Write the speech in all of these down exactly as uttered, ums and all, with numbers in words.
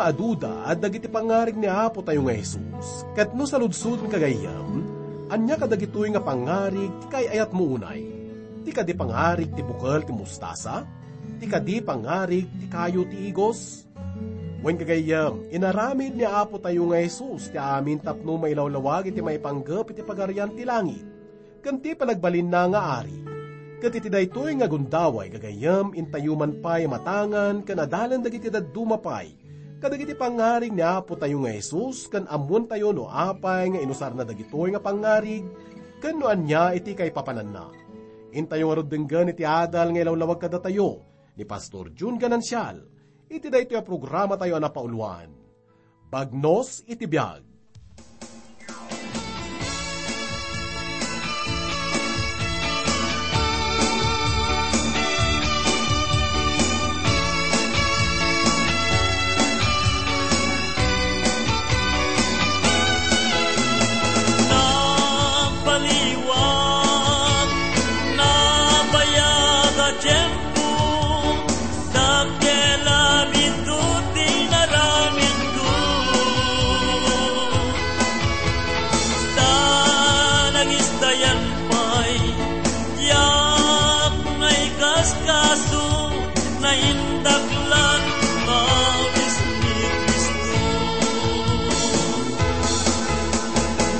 Aduda dagiti pangarig ni Apo tayo nga Jesus, ket no saludsodon ka gayyem, ania kadagitoy nga pangarig ti kaay-ayatmo unay? Ti kadi pangarig ti bukel ti mostasa? Ti kadi pangarig ti kayo ti igos? Wen ka gayyem, inaramid ni Apo tayo nga Jesus ti amin tapno mailawlawag iti maipanggep iti Pagarian ti langit ken ti panagbalinna nga ari. Ket iti daytoy nga gundaway gagayyem, intayo man pay matangan ken adalan dagiti dadduma pay kadagiti pangarig ni Apo tayo nga Jesus, ken ammoentayo no apay nga inusarna dagitoy nga pangarig ken no ania iti kaipapananna. Intayo ngarud denggen iti adal nga ilawlawag kadatayo ni Pastor Jun Ganancial iti daytoy a programa tayo a napauluan, Bagnos iti Biag. Napaliwat, nabayag a tiempo, dakkel a biit ti naramidko. Ta nagistayan pay, diak naikaskaso, naindaklan, mawis ni Cristo.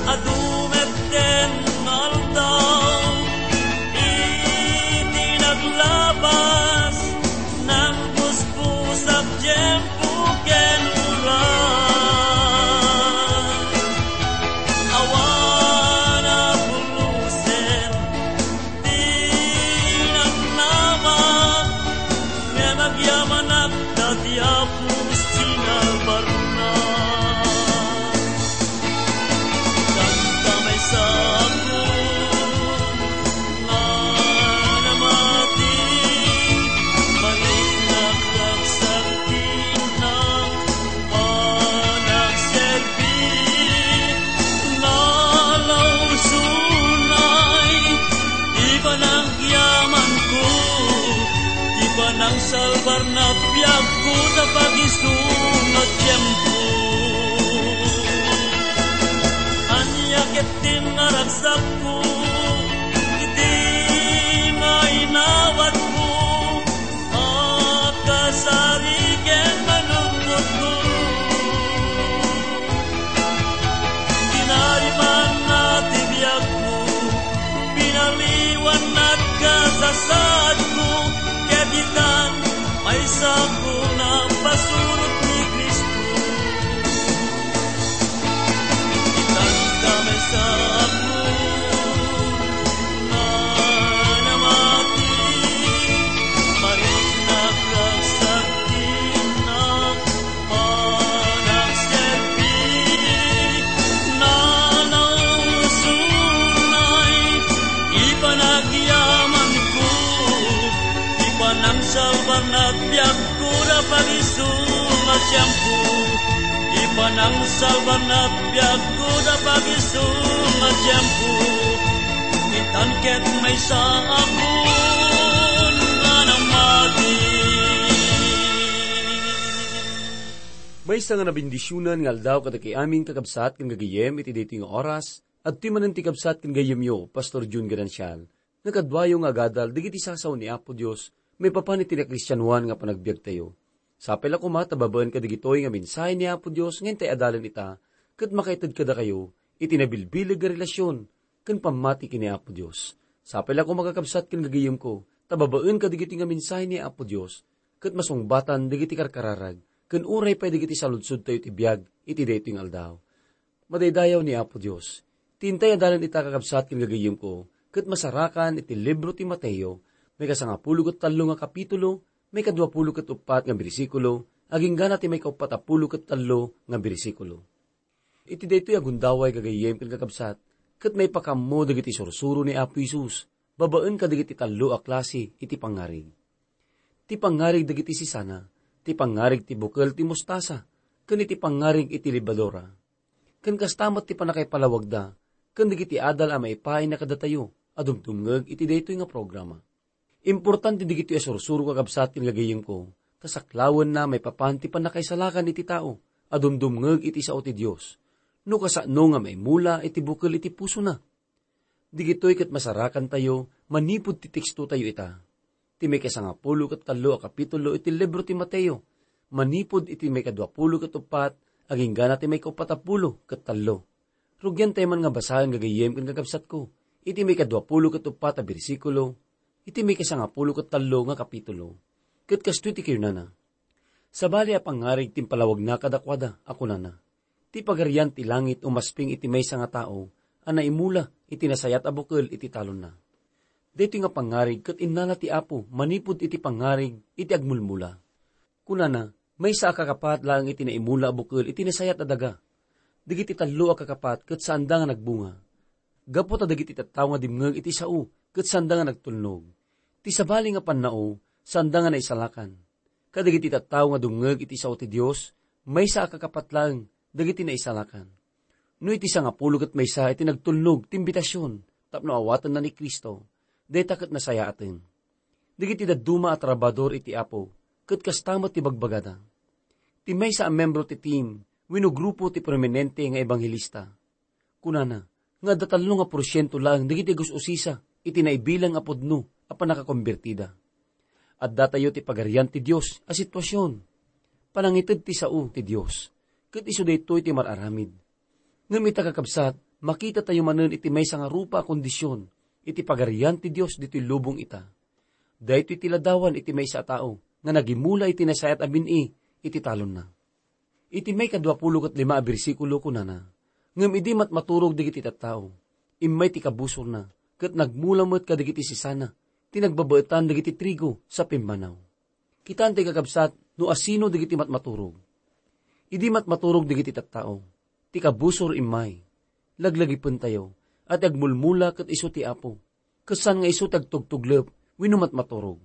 Adu met ten nga aldaw, iti naglabas, nangpuspusak tiempo ken oras. Awan a pulusen ti namnama, ngem agyamanak ta ti Apo sinalbarna. Tanta maysa a puon nga namati, mariknak ragsak ti innak panagserbi, nalausonay ti panagyamanko, ti panangsalbarna biagko ta pagisu nga tiempo. Ania ket ti naragsakko iti mainawatko a kasari ken manungotko? Tinarimanna ti biagko, pinaliwanna ti kasasaadko, ket itan, maysako napasurot ni Cristo. Itan ta maysa a puon nga namati, mariknak ragsak ti innak panagserbi, nalausonay ti panagyamanko, ti panangsalbarna biagko da pagisu nga tiempo, ti panangsalbarna biagko da pagisu nga tiempo, itan ket maysa a puon nga namati. Maysa nga nabendisionan nga aldaw kadagiti amin, kakabsat ken gagayyem, iti daytoy nga oras. Adtoy manen ti kabsat ken gayyemyo, Pastor Jun Ganancial, nga kaduayo nga agadal dagiti sasawen ni Apo Dios maipapan iti nakristianoan nga panagbiagtayo. Sapay la koma ta babaen kadagitoy nga mensahe ni Apo Dios nga intay adalen ita, ket makaited kadakayo iti nabilbileg nga relasyon ken pammati ken ni Apo Dios. Sapay la koma, kakabsat ken gagayyemko, ta babaen kadagitoy nga mensahe ni Apo Dios, ket masungbatan dagiti karkararag, ken uray pay dagiti saludsodtayo iti biag iti daytoy nga aldaw. Madaydayaw ni Apo Dios. Ti intay adalen ita, kakabsat ken gagayyemko, ket masarakan iti libro ti Mateo, maikasangapulo ket tallo nga kapitulo, maikaduapulo ket uppat nga bersikulo, agingga na ti maikauppat a pulo ket tallo nga bersikulo. Iti daytoy a gundaway, gagayyem ken kakabsat, ket maipakammo dagiti sursuro ni Apo Jesus babaen kadagiti tallo a klase iti pangarig. Ti pangarig dagiti sisana, ti pangarig ti bukel ti mostasa, ken iti pangarig iti lebadura. Ken kasta met ti pannakaipalawagda ken dagiti adal a maipaayna kadatayo a dumdumngeg iti daytoy nga programa. Importante dagitoy a sursuro, kakabsat ken gagayyemko, Kasaklawenna maipapan ti pannakaisalakan iti tao a dumdumngeg iti sao ti Dios, no kasano nga maimula iti bukel iti pusona. Digitoy ket masarakantayo manipud ti tekstotayo ita. Ti maikasangapulo ket tallo a kapitulo iti libro ti Mateo, manipud iti maikaduapulo ket uppat, aginggana ti maikauppat a pulo ket tallo. Rugiantayo man nga basaen gagayyem ken kakabsatko, iti maikaduapulo ket uppat a bersikulo, iti maikasangapulo ket tallo nga kapitulo. Ket kastoy ti kinunana, Sabali a pangngarig ti impalawagna kadakuada a kunana, "Ti Pagarian ti langit umasping iti maysa nga tao a naimula iti nasayaat a bukel iti talonna." Daytoy nga pangngarig ket innala ti Apo manipud iti pangngarig iti agmulmula. Kunana, maysa a kakapat laeng iti naimula a bukel iti nasayaat a daga. Dagiti tallo a kakapat ket saanda nga nagbunga. Gapu ta dagiti tattao nga dimngeg iti sao ket saanda nga nagtulnog. Ti sabali nga pannao, saanda nga naisalakan. Kadagiti tattao nga dumngeg iti sao ti Dios, maysa a kakapat laeng dagiti naisalakan. No iti sangapulo ket maysa iti nagtulnog ti imbitasion tapno awatenna ni Cristo, dayta ket nasayaaten. Dagiti dadduma a trabahador iti Apo, ket kasta met ti bagbagada. Ti maysa a membro ti team wenno grupo ti prominente nga ebanghelista. Kunana nga adda tallo nga porsiento laeng dagiti gus-usisa iti naibilang a pudno a pannakakombertida. Addatayo ti Pagarian ti Dios a situasion. Panangited ti sao ti Dios, ket isu daytoy ti mar-aramid. Ngem ita, kakabsat, makitatayo manen iti maysa nga rupa a kondisyon iti Pagarian ti Dios ditoy lubong ita. Daytoy ti ladawan iti maysa a tao nga nagimula iti nasayaat a bin-i iti talonna. Iti maikaduapulo ket lima a bersikulo, kunana, "Ngem idi matmaturog dagiti tattao, immay ti kabusorna, ket nagmula met kadagiti sisana ti nagbabaetan dagiti trigo sa pimmanaw." Kitaentayo, kakabsat, no asino dagiti matmaturog. Idi matmaturog dagiti tattao, ti kabusor immay. Laglagipentayo a ti agmulmula ket isu ti Apo. Ket saan nga isu ti agtugtuglep wenno matmaturog.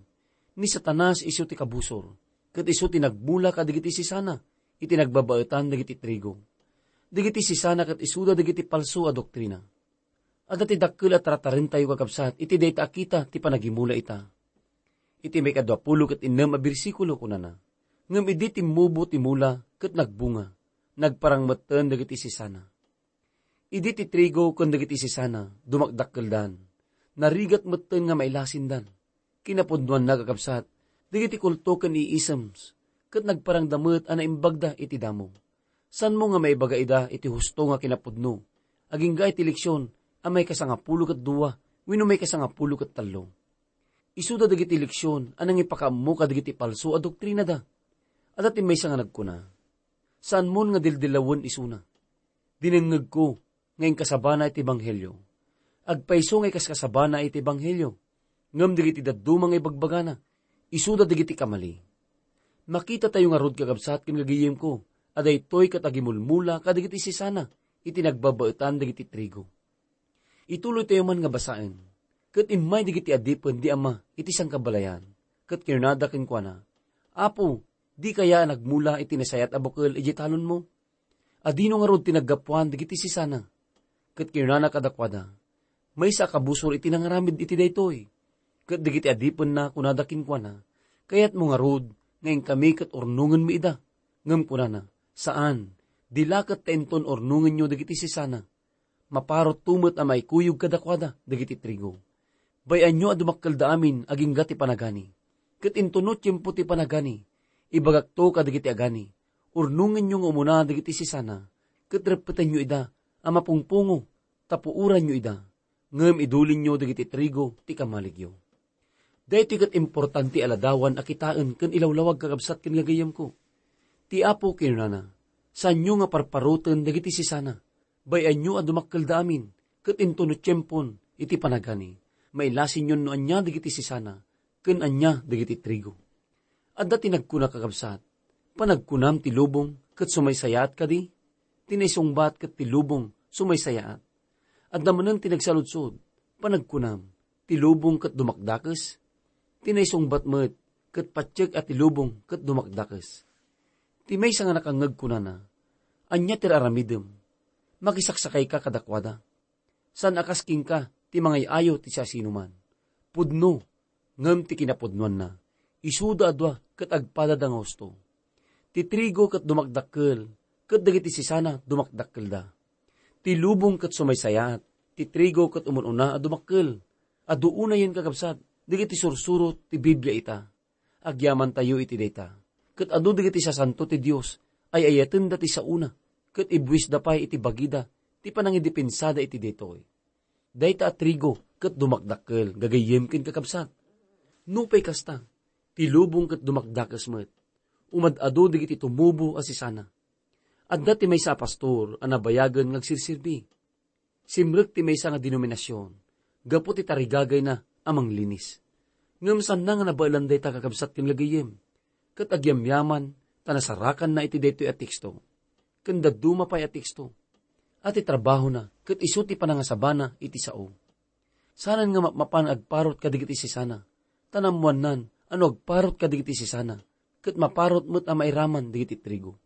Ni Satanas isu ti kabusor, ket isu ti nagmula kadagiti sisana iti nagbabaetan dagiti trigo. Dagiti sisana ket isuda dagiti palso a doktrina. Adda ti dakkel a taratarentayo, kakabsat, iti dayta a kita ti panagimula ita. Iti maikaduapulo ket innem a bersikulo, kunana, "Ngem idi timmubo ti mula ket nagbunga, nagparang metten dagiti sisana." Idi ti trigo ken dagiti sisana dumakdakkeldan, narigat metten nga mailasindan. Kinapudnoanna, kakabsat, dagiti kulto ken iisems, ket nagparangda met a naimbagda iti damo. Saanmo nga maibaga ida iti husto nga kinapudno, agingga iti leksion a maikasangapulo ket dua wenno maikasangapulo ket tallo. Isuda dagiti leksion a nangipakaammo kadagiti palso a doktrinada. Adda ti maysa nga nagkuna, "Saanmon nga dildilawen isuna. Dinengngegko nga inkasabana iti ebanghelio. Agpayso nga ikaskasabana iti ebanghelio, ngem dagiti dadduma nga ibagbagana, isuda dagiti kamali." Makitatayo ngarud, kakabsat ken gagayyemko, a daytoy ket agimulmula kadagiti sisana iti nagbabaetan dagiti trigo. Ituloytayo man nga basaen. Ket immay dagiti adipen di ama iti sangkabalayan, ket kinunada kenkuana, "Apo, dika aya a nagmula iti nasayaat a bukel idiay talonmo? Adino ngarud ti naggapuan dagiti sisana?" Ket kinunana kadakuada, "Maysa a kabusor iti nangaramid iti daytoy." Ket dagiti adipenna kunada kenkuana, "Kayatmo ngarud nga inkami ket urnongenmi ida?" Ngem kunana, "Saan, di la ket ta inton urnongenyo dagiti sisana, maparutto met a maikuyog kadakuada dagiti trigo. Bay-anyo a dumakkelda amin agingga ti panagani. Ket inton no tiempo ti panagani, ibagakto kadagiti agani, urnongenyo nga umuna dagiti sisana, ket reppetenyo ida a mapungpungo, ta puoranyo ida, ngem idulinyo dagiti trigo ti kamaligyo." Daytoy ket importante a ladawan a kitaen ken ilawlawag, kakabsat ken gagayyemko. Ti Apo kinunana, "Saanyo nga parparoten dagiti sisana. Bay-anyo a dumakkelda amin, ket inton no tiempon iti panagani, mailasinyon no ania dagiti sisana ken ania dagiti trigo." Adda ti nagkuna, kakabsat, "Panagkunam ti lubong ket sumaysayaat kadi? Ti naisungbat ket ti lubong sumaysayaat." Adda manen ti nagsaludsod, "Panagkunam, ti lubong ket dumakdakes?" Ti naisungbat met ket patiek a ti lubong ket dumakdakes. Ti maysa nga nakangngeg kunana, "Ania ti aramidem? Makisaksakayka kadakuada. Saan a kas kenka ti mangay-ayo ti siasinoman. Pudno, ngem ti kinapudnoanna, isuda a dua ket agpadada nga husto. Ti trigo ket dumakdakkel, ket dagiti sisana dumakdakkelda. Ti lubong ket sumaysayaat, ti trigo ket umun-una a dumakkel. Adu unayen, kakabsat, dagiti sursuro ti Biblia ita. Agyamantayo iti dayta. Ket adu dagiti sasanto ti Dios, ay-ayatenda ti saona, ket ibuisda pay iti bagida ti panangidipensada iti daytoy. Dayta a trigo ket dumakdakkel, gagayyem ken kakabsat. Nupay kasta, ti lubong ket dumakdakes met. Umad-adu dagiti tumubo a sisana. Adda ti maysa a pastor a nabayagen nga agsirsirbi. Simrek ti maysa nga denominasion gapu ti tarigagayna a manglinis. Ngem saanna nga nabaelan dayta, kakabsat ken gagayyem, ket agyamyaman ta nasarakanna iti daytoy a teksto ken dadduma pay a teksto a ti trabahona ket isu ti panangasabana iti sao. Saanen nga mapmapan nga agparut kadagiti sisana, ta naammoannan a no agparut kadagiti sisana, ket maparut met a mairaman dagiti trigo.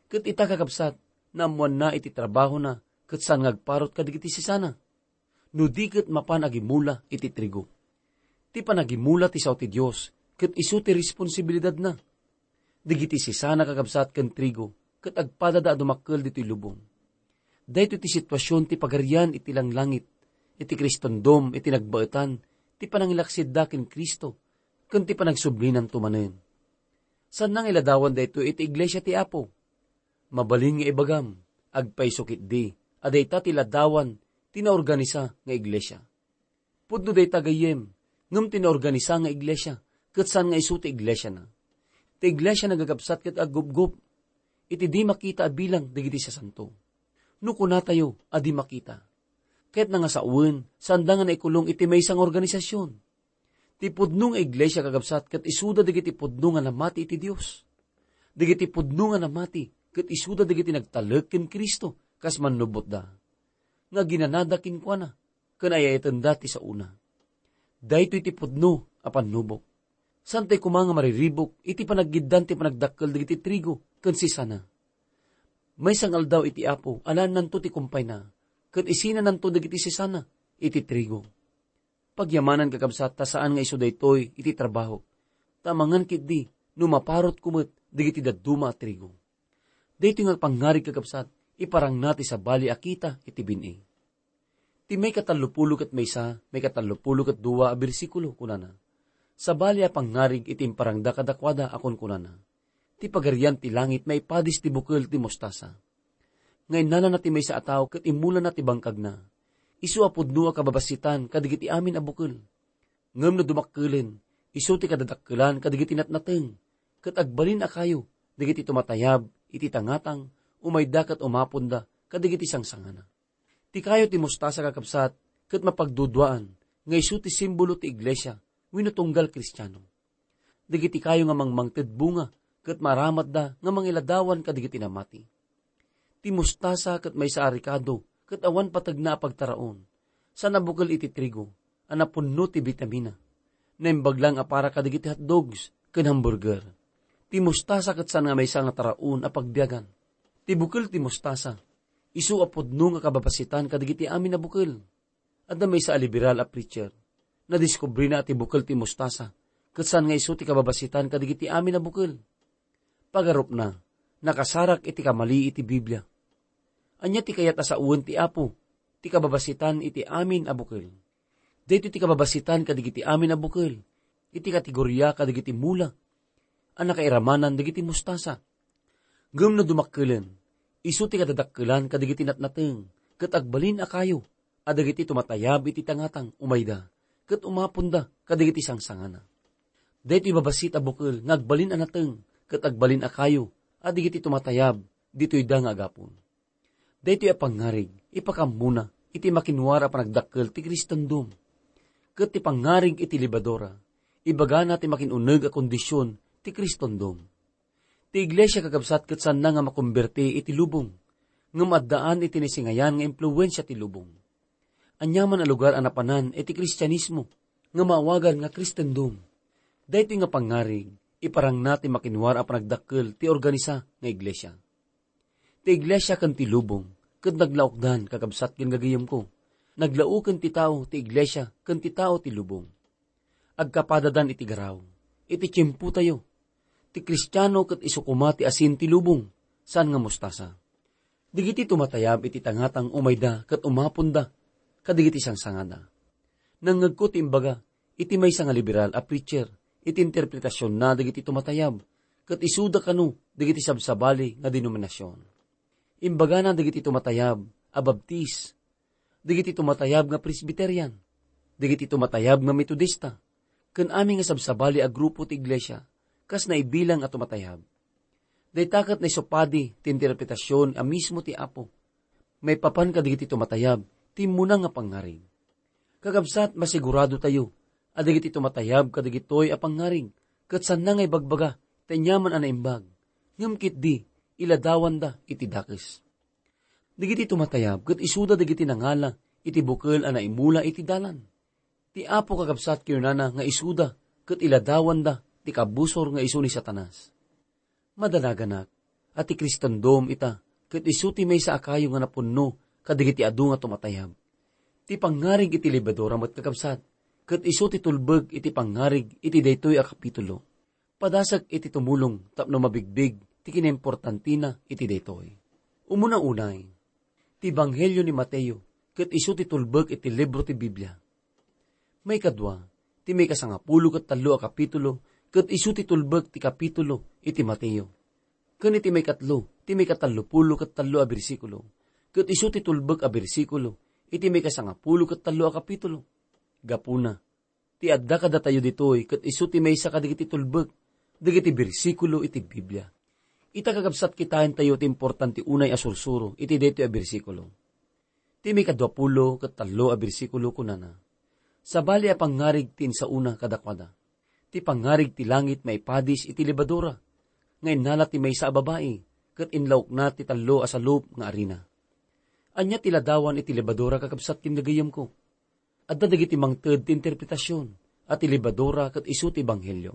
Ket ita, kakabsat, naammoanna iti trabahona ket saan nga agparut kadagiti sisana. No di ket mapan agimula iti trigo. Ti panagimula ti sao ti Dios, ket isu ti responsibilidadna. Dagiti sisana, kakabsat, ken trigo, ket agpadada a dumakkel ditoy lubong. Daytoy ti situasion ti Pagarian iti langlangit, iti Kristondom, iti nagbaetan, ti panangilaksidda ken Cristo, ken ti panagsublinan to manen. Saanna nga iladawan daytoy iti iglesia ti Apo. Mabalin nga ibagam, agpayso ketdi a dayta ti ladawan ti naorganisa nga iglesia. Pudno dayta, gayyem, ngem ti naorganisa nga iglesia, ket saan nga isu ti iglesiana. Ti iglesia nagagabsat ket aggupgop iti di makita a bilang dagiti sasanto. No kunatayo a di makita, ket nangasawen, saanda nga naikulong iti maysa nga organisasion. Ti pudno nga iglesia, kakabsat, ket isuda dagiti pudno nga namati iti Dios. Dagiti pudno nga namati ket isuda dagiti nagtalek ken Cristo kas mannubotda, nga aginanada kenkuana, ken ay-ayatenda ti saona. Daytoy ti pudno a pannubok. Saantay koma nga mariribuk iti panaggiddan ti panagdakkel dagiti trigo ken sisana. Maysa nga aldaw iti Apo, alaennanto ti kumpayna, ket isinananto dagiti sisana iti trigo. Pagyamanan, kakabsat, ta saan nga isu daytoy iti trabaho, ta amangan ketdi no maparutko met dagiti dadduma a trigo. Daytoy nga pangngarig, kakabsat, iparangna ti sabali a kita iti bin-i. Ti maikatallopulo ket maysa, maikatallopulo ket dua a bersikulo, kunana, "Sabali a pangngarig iti imparangda kadakuada a kunkunana, 'Ti Pagarian ti Langit maipadis ti bukel ti mostasa.' Nga innalana ti maysa a tao ket immulana ti bangkagna. Isu a pudno a kababassitan kadagiti amin a bukel. Ngem no dumakkelen, isu ti kadadakkelan kadagiti natnateng, ket agbalin a kayo dagiti tumatayab iti tangatang, umayda ket umaponda kadagiti sangsangana." Ti kayo ti mostasa, kakabsat, ket mapagduduaan nga isu ti simbolo ti iglesia wenno tunggal Kristiano. Dagiti kayo nga mangmangted bunga ket maaramatda nga mangiladawan kadagiti namati. Ti mostasa ket maysa a rekado ket awan pategna a pagtaraon. Saan a bukel iti trigo a napunno ti bitamina. Naimbag lang a para kadagiti hotdogs ken hamburger. Ti mostasa ket saan nga maysa nga taraon a pagbiagan. Ti bukel ti mostasa, isu a pudno nga kababassitan kadagiti amin a bukel. Adda maysa a liberal a preacher. Nadiskubrina a ti bukel ti mostasa ket saan nga isu ti kababassitan kadagiti amin a bukel. Pagarupna, nakasarak iti kamali iti Biblia. Ania ti kayat a sawen ti Apo ti kababassitan iti amin a bukel? Daytoy ti kababassitan kadagiti amin a bukel iti kategoria kadagiti mula a nakairamanan dagiti mostasa. Ngem no dumakkelen, isu ti kadadakkelan kadagiti natnateng ket agbalin a kayo a dagiti tumatayab iti tangatang umayda ket umaponda kadagiti sangsangana. Daytoy babassit a bukel nga agbalin a nateng ket agbalin a kayo a dagiti tumatayab ditoyda nga agapon. Daytoy a pangngarig, ipakammona iti makinwar a panagdakkel ti Kristondom. Ket ti pangngarig iti lebadura, ibagana ti makin-uneg a kondision ti Kristondom. Ti iglesia, kakabsat, ket saanna nga makomberti iti lubong, ngem addaan iti naisingayan nga impluensia ti lubong. Aniaman a lugar a napanan iti Kristianismo nga maawagan nga Kristendom. Daytoy nga pangngarig, iparangna ti makinwar a panagdakkel ti organisa nga iglesia. Ti iglesia ken ti lubong ket naglaokdan, kakabsat ken gagayemko. Naglaoken ti tao ti iglesia ken ti tao ti lubong. Agkapadadan iti garaw, iti tiempotayo. Ti Kristiano ket isu koma ti asin ti lubong, saan nga mostasa. Dagiti tumatayab iti tangatang umayda ket umaponda kadigiti sangsangada. Nangngegko ti imbaga iti maysa nga liberal a preacher iti interpretasionna dagiti tumatayab, ket isuda kano dagiti sabsabali nga denominasion. Imbagana dagiti tumatayab a Baptist, dagiti tumatayab nga Presbyterian, dagiti tumatayab nga Metodista, ken amin nga sabsabali a grupo ti iglesia, kas naibilang a tumatayab. Dayta ket naisupadi ti interpretasion a mismo ti Apo. Maipapan kadagiti tumatayab ti immuna nga pangngarig. Kakabsat, masigurado tayo a dagiti tumatayab kadagitoy a pangngarig ket saanna nga ibagbaga ti aniaman a naimbag, ngem ketdi iladawanda iti dakes. Dagiti tumatayab ket isuda dagiti nangala iti bukel a naimula iti dalan. Ti Apo, kakabsat, kinunana nga isuda ket iladawanda ti kabusor nga isu ni Satanas. Madanaganak a ti Kristondom ita ket isu ti maysa a kayo nga napunno kadagiti adu nga tumatayab. Ti pangngarig iti lebadura met, kakabsat, ket isu ti tulbek iti pangngarig iti daytoy a kapitulo. Padasek iti tumulong tapno mabigbig ti kinaimportantina iti daytoy. Umuna unay, ti Ebanghelio ni Mateo ket isu ti tulbek iti libro ti Biblia. Maikadua, ti maikasangapulo ket tallo a kapitulo ket isu ti tulbek ti kapitulo iti Mateo. Ken iti maikatlo, ti maikatallopulo ket tallo a bersikulo ket isu ti tulbek a bersikulo iti maikasangapulo ket tallo a kapitulo. Gapuna, ti adda kadatayo ditoy ket isu ti maysa kadagiti tulbek dagiti bersikulo iti Biblia. Ita, kakabsat, kitaentayo ti importante unay a sursuro iti daytoy a bersikulo. Ti maikaduapulo ket tallo a bersikulo kunana, "Sabali a pangngarig ti insaona kadakuada. Ti pangngarig ti langit maipadis iti lebadura, nga innala ti maysa a babai, ket inlaokna ti tallo a salup nga arina." Ania ti ladawan iti lebadura, kakabsat ken gagayyemko? Adda dagiti mangted ti interpretasion a ti lebadura ket isu ti ebanghelio.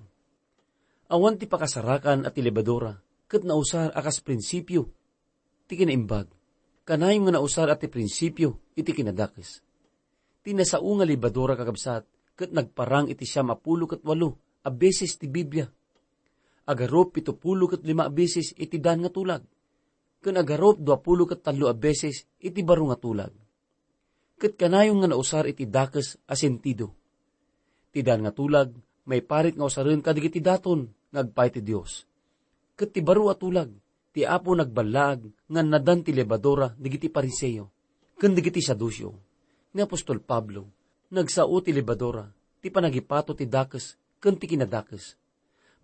Awan ti pakasarakan a ti lebadura ket nausar a kas prinsipio ti kinaimbag. Kanayon nga nausar a ti prinsipio iti kinadakes. Ti nasao nga lebadura, kakabsat, ket nagparang iti siam a pulo ket walo a beses ti Biblia. Agarup pito pulo ket lima a beses iti dan nga tulag, ken agarup dua pulo ket tallo a beses iti baro nga tulag. Ket kanayon nga nausar iti dakes a sentido. Ti dan nga tulag, maiparit nga usaren kadagiti daton nga agpaay ti Dios. Ket ti baro a tulag, ti Apo nagballaag nga annadan ti lebadura dagiti Fariseo ken dagiti Saduceo. Ni apostol Pablo, nagsao ti lebadura ti panagipato ti dakes ken ti kinadakes.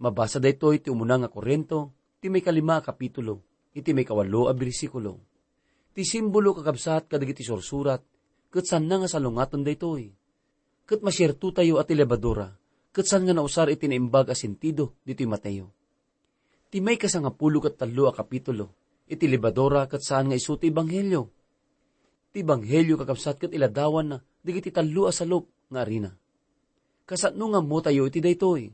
Mabasa daytoy ti umuna nga Corinto, ti maikalima a kapitulo, iti maikawalo a bersikulo. Ti simbolo, kakabsat, kadagiti sursurat, ket saanna nga salungaten daytoy. Ket masiertotayo a ti lebadura ket saan nga nausar iti naimbag a sentido ditoy Mateo. Ti maikasangapulo ket tallo a kapitulo iti lebadura ket saan nga isu ti ebanghelio. Ti ebanghelio, kakabsat, ket iladawanna dagiti tallo a salup nga arina. Kasano nga ammotayo iti daytoy?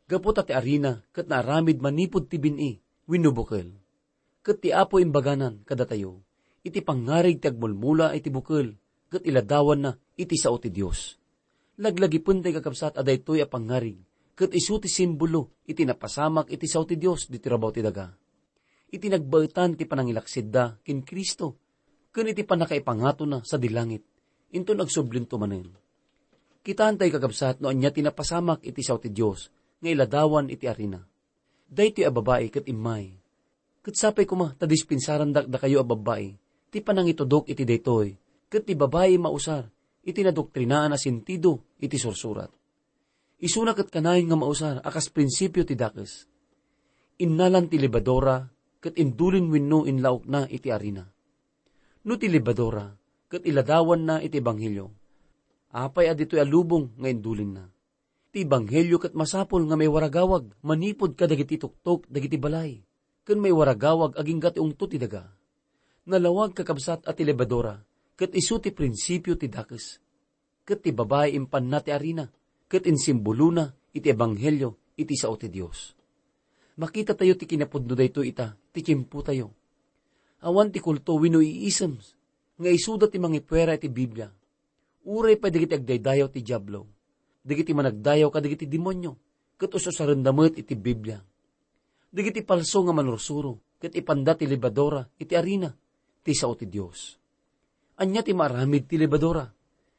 Gapu ta ti arina ket naaramid manipud ti bin-i wenno bukel. Ket ti Apo imbaganan kadatayo iti pangngarig ti agmulmula iti bukel ket iladawanna iti sao ti Dios. Laglagipentay, kakabsat, a daytoy a pangngarig ket isu ti simbolo iti napasamak iti sao ti Dios ditoy rabaw ti daga. Iti nagbaetan ti panangilaksidda ken Cristo ken iti pannakaipangatona sadi langit, inton agsublinto manen. Kitaentay, kakabsat, no ania ti napasamak iti sao ti Dios nga iladawan iti arina. Daytoy a babai ket immay. Ket sapay koma ta dispensarandak dakayo a babbai ti panangitudok iti daytoy, ket ti babai mausar iti nadoktrinaan a sentido iti sursurat. Isuna ket kanayon nga mausar a kas prinsipio ti dakes. Innalan ti lebadura ket indulin wenno inlaokna iti arina. No ti lebadura ket iladawanna iti ebanghelio, apay a ditoy a lubong nga indulinna? Ti ebanghelio ket masapul nga maiwaragawag manipud kadagiti tuktok dagiti balay, ken maiwaragawag agingga ti ungto ti daga. Nalawag, kakabsat, a ti lebadura ket isu ti prinsipio ti dakes, ket ti babai impanna ti arina ket insimbolona iti ebanghelio iti sao ti Dios. Makitatayo ti kinapudno daytoy ita ti tiempotayo. Awan ti kulto wenno iisem nga isuda ti mangipuera iti Biblia. Uray pay dagiti agdaydayaw ti Diablo, dagiti managdayaw kadagiti demonio, ket us-usarenda met iti Biblia. Dagiti palso nga manursuro ket ipanda ti lebadura iti arina, ti sao ti Dios. Ania ti maaramid ti lebadura?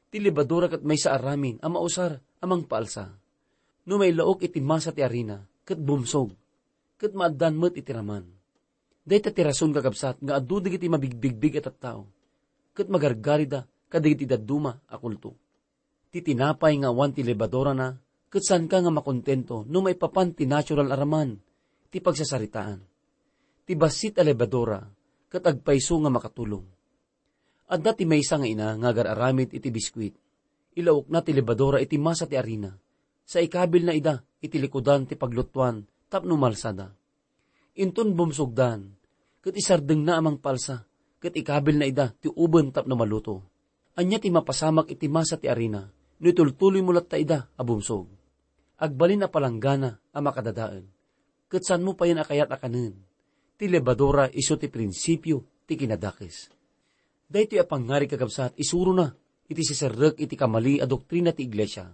Ti lebadura ket maysa a ramin a mausar a mangpaalsa. No mailaok iti masa ti arina, ket bumsog, ket maaddan met iti raman. Dayta ti rason, kakabsat, nga adu dagiti mabigbigbig a tattao, ket magargarida kadagiti dadduma a kulto. Ti tinapay nga awan ti lebadurana, ket saanka nga makontento no maipapan ti natural a raman ti pagsasaritaan. Ti bassit a lebadura ket agpayso nga makatulong. Adda ti maysa nga ina nga agar-aramid iti biskuit. Ilaokna ti lebadura iti masa ti arina, sa ikabilna ida iti likudan ti paglutuan tapno malsada. Inton bumsogdan, ket isardengna a mangpalsa, ket ikabilna ida ti uben tapno maluto. Ania ti mapasamak iti masa ti arina no itultuloymo latta ida a bumsog? Agbalin a palanggana a makadadael. Ket saanmo payen a kayat a kanen? Ti lebadura isu ti prinsipio ti kinadakes. Daytoy a pangngarig, kakabsat, isurona iti siserrek iti kamali a doktrina ti iglesia,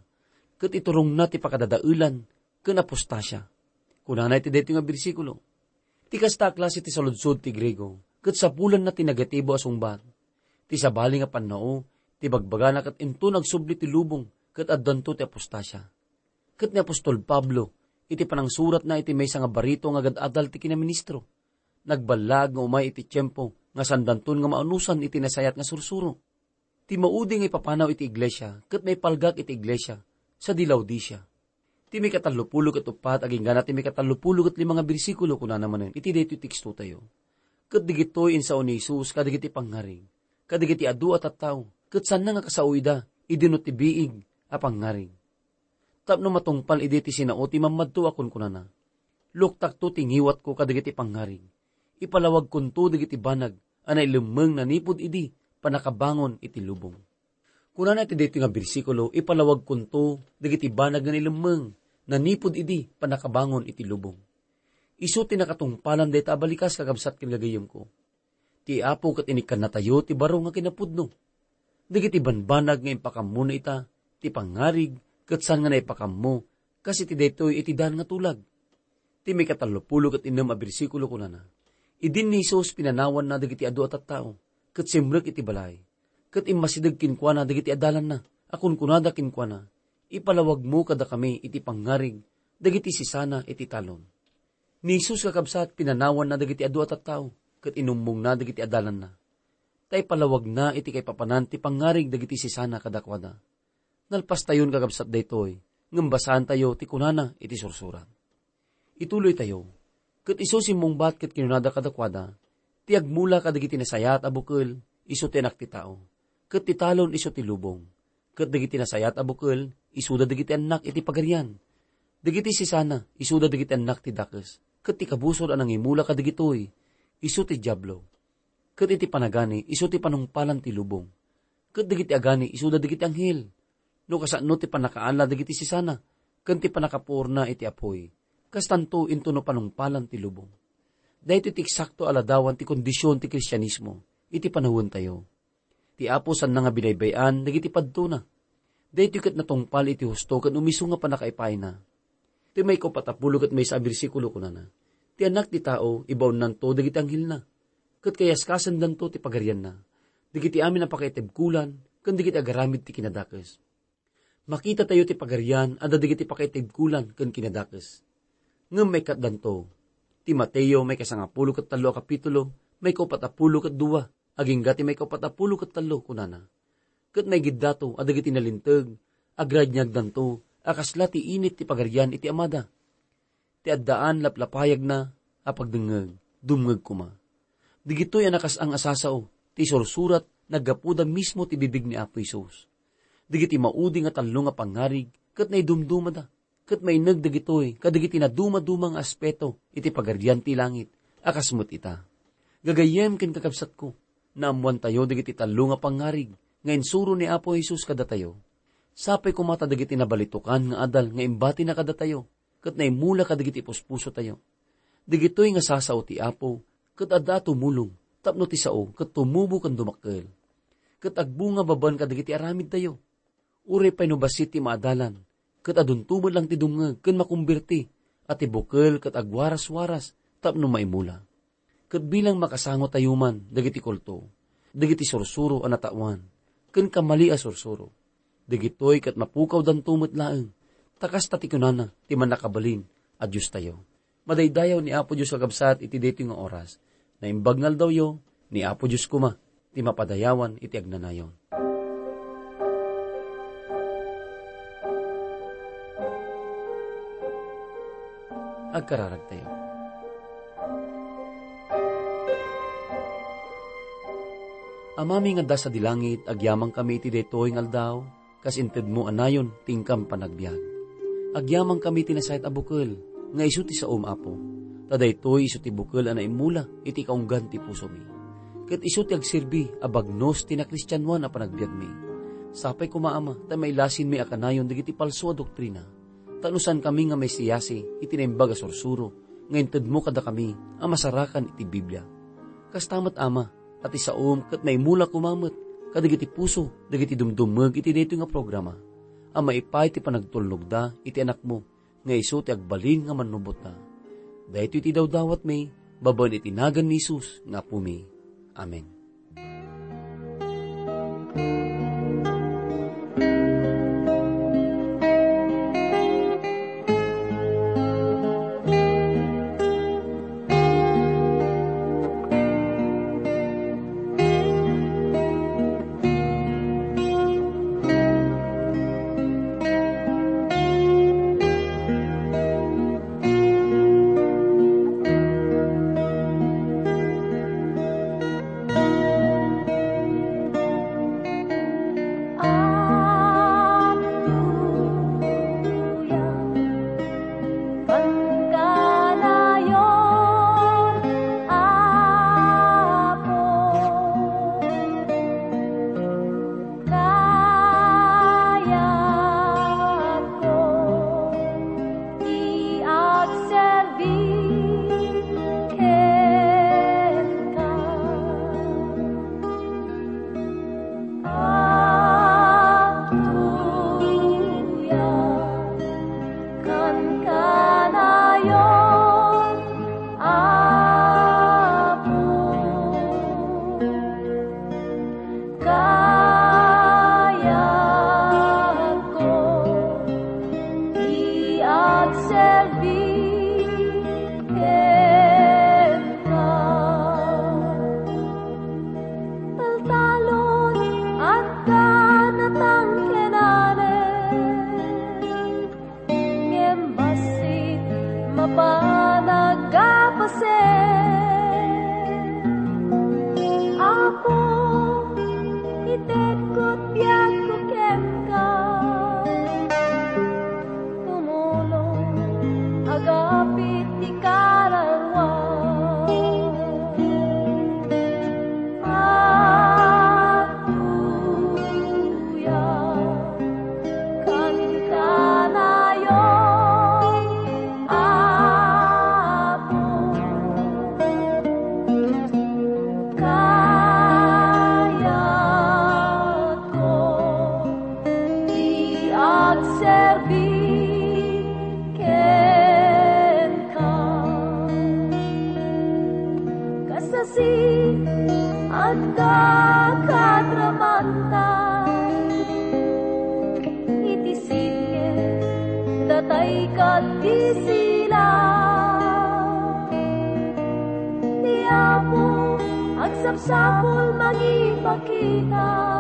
ket iturongna ti pakadadaelan ken apostasia. Kunana iti daytoy nga bersikulo, ti kasta a klase ti saludsod ti Griego, ket sapulanna ti negatibo a sungbat. Ti sabali nga pannao, ti bagbagana ket inton agsubli ti lubong ket addanto ti apostasia. Ket ni apostol Pablo, iti panangsuratna iti maysa nga barito nga agad-adal ti kinaministro, nagballaag nga umay iti tiempo nga sandanton nga maanusan iti nasayaat nga sursuro. Ti maudi nga ipapanaw iti iglesia ket maipalgak iti iglesia sadi Laodicea. Ti mikatallopulo ket uppat agingga na ti mikatallopulo ket lima nga bersikulo, kunana manen iti daytoy tekstotayo, ket dagitoy insao ni Jesus kadagiti pangngarig, kadagiti adu a tattao, ket saanna nga kasao ida idi no ti biig a pangngarig. Tapno matungpal idi ti sinao ti mammadto a kunkunana, "Luktakto ti ngiwatko kadagiti pangngarig. Ipalawagkonto dagiti banag a nailemmeng nanipud idi pannakabangon iti lubong." Kunana iti daytoy nga bersikulo, "Ipalawagkonto dagiti banag nga nailemmeng nanipud idi pannakabangon iti lubong." Isu ti nakatungpalan dayta a balikas, kakabsat ken gagayyemko. Ti Apo ket inikkannatayo ti baro nga kinapudno. Dagiti banbanag nga impakammona ita ti pangngarig ket saan nga naipakammo kas iti daytoy iti dan nga tulag. Ti mikatallopulo ket innem a bersikulo kunana, "Idin ni Jesus pinanawanna dagiti adu a tattao ket simrek iti balay, ket immasideg kenkuana dagiti adalanna a kunkunada kenkuana, 'Ipalawagmo kadakami iti pangngarig dagiti sisana iti talon.'" Ni Jesus, kakabsat, pinanawanna dagiti adu a tattao ket inummongna dagiti adalanna. Ta ipalawagna iti kaipapanan ti pangngarig dagiti sisana kadakuada. Nalpastayon, kakabsat, daytoy, ngem basaantayo ti kunana iti sursurat. Ituloytayo, "Ket isu simmungbat ket kinunada kadakuada, 'Ti agmula kadagiti nasayaat a bukel, isu ti Anak ti Tao, ket ti talon isu ti lubong. Ket dagiti nasayaat a bukel, isuda dagiti annak iti Pagarian. Dagiti sisana, isuda dagiti annak ti dakes. Ket ti kabusor a nangimula kadagitoy, isu ti Diablo. Ket iti panagani, isu ti panungpalan ti lubong. Ket dagiti agani, isuda dagiti anghel. No kasano ti pannakaala dagiti sisana, ken ti pannakapuorna iti apuy, kastanto intono panungpalan ti lubong." Daytoy ti eksakto a ladawan ti kondision ti Kristianismo iti panawentayo. Ti Apo saanna nga binaybay-an dagiti padtona. Daytoy ket natungpal iti husto ken umiso nga pannakaipayna. Ti maikaupat a pulo ket maysa a bersikulo kunana, "Ti Anak ti Tao, ibaonnanto dagiti anghelna, ket kayaskasendanto ti pagarianna, dagiti amin a pakaitibkolan, ken dagiti agaramid ti kinadakes." Makitatayo ti pagarian adda dagiti pakaitibkolan ken kinadakes. Ngem maikatdanto. Ti Mateo, maikasangapulo ket tallo a kapitulo, maikaupat a pulo ket dua, agingga ti maikaupat a pulo ket tallo, kunana, "Ket maigiddato a dagiti nalinteg, agragniagdanto a kasla ti init ti Pagarian iti Amada. Ti addaan laplapayagna a pagdengngeg, dumngeg koma." Dagitoy a nakasang a sasao ti sursurat naggapuda mismo ti bibig ni Apo Jesus. Dagiti maudi nga tallo nga pangngarig ket naidumdumada, ket maineg dagitoy kadagiti nadumaduma nga aspeto iti Pagarian ti langit a kas met ita. Gagayyem ken kakabsatko, naammoantayo dagiti tallo nga pangngarig nga insuro ni Apo Jesus kadatayo. Sapay koma ta dagiti nabalitokan nga adal nga imbatina kadatayo ket naimula kadagiti puspusotayo. Dagitoy nga sasao ti Apo ket adda a tumulong tapno ti sao ket tumubo ken dumakkel, ket agbunga babaen kadagiti aramidtayo. Uray pay no bassit ti maadalan, ket adunto met lang ti dumngeg ken makumbirti a ti bukel ket agwaraswaras tapno maimula. Ket bilang makasangotayo man dagiti kulto, dagiti sursuro a natawan, ken kamali a sursuro, dagitoy ket mapukawdanto met laeng, ta kasta ti kunana ti Mannakabalin a Diostayo. Madaydayaw ni Apo Dios, kakabsat, iti daytoy nga oras. Naimbag nga aldawyo, ni Apo Dios koma ti mapadayawan iti agnanayon. Agkararagtayo. Amami nga adda sadi langit, agyamankami iti daytoy nga aldaw, kas intedmo a nayon ti inkam panagbiag. Agyamankami iti nasayaat a bukel, nga isu ti saom, Apo. Ta daytoy isu ti bukel a naimula iti kaunggan ti pusomi. Ket isu ti agserbi a bagnos ti nakristianoan a panagbiagmi. Sapay koma, Ama, ta mailasinmi a kanayon dagiti palso a doktrina. Ta no saankami nga maisiyasi iti naimbag a sursuro nga intedmo kadakami a masarakan iti Biblia. Kasta met, Ama, a ti saom ket maimula koma met kadagiti puso dagiti dumdumeg iti daytoy nga programa, a maipaay ti panagtulnogda iti Anakmo nga isu ti agbalin nga mannubotda. Daytoy ti dawdawatmi babaen iti nagan ni Jesus nga Apomi. Amen. Kayatko ti agserbi kenka. Agtuyam kan kanayon, Apo. Kayatko ti agserbi kenka. Taltalon, adda natangkenanen. Ngem bassit mapan a agpasen. Apo, itedko ti biagko kenka. Tumulong, agapit ti kararua. Agtuyam kan kanayon, Apo. Kayatko ti agserbi kenka. Kasasi, adda kadramanta iti sitge, datay ket ti sila. Ni Apo, agsapsapul mangipakita.